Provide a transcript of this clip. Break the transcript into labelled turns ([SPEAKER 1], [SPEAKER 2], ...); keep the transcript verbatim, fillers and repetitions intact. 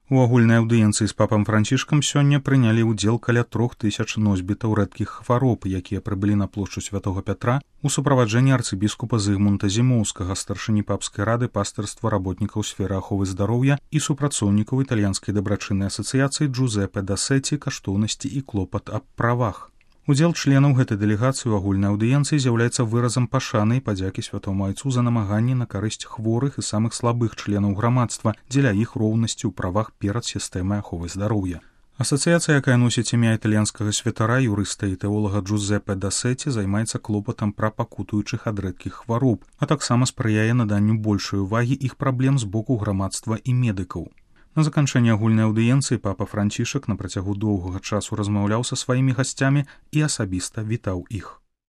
[SPEAKER 1] У агульнай аўдыенцыі з папам Францішкам сёння прынялі ўдзел каля трох тысяч носьбітаў рэдкіх хвароб, якія прыбылі на плошчу Святога Пятра у суправаджэнні арцыбіскупа Зыгмунта Зімоўскага, старшыні папскай рады пастырства работнікаў сферы аховы здароўя і супрацоўнікаў італьянскай дабрачыннай асацыяцыі Джузепе Дасеці «Каштоўнасці і клопат аб правах». Удзел членаў гэтай дэлегацыі ў агульнай аўдыенцыі з'яўляецца выразам пашаны і падзякі святому айцу за намаганні на карысць хворых і самых слабых членаў грамадства дзеля іх роўнасці ў правах перад сістэмай аховы здароўя. Асацыяцыя, якая носіць імя італьянскага святара, юрыста і тэолага Джузепе Дасеці, займаецца клопатам пра пакутуючых ад рэдкіх хвароб, а таксама спрыяе наданню большай увагі іх праблем з боку грамадства і медыкаў. На заканчэнне агульнай аўдыенцыі папа Францішак на працягу доўгага часу размаўляў са сваімі гасцямі і асабіста вітаў іх.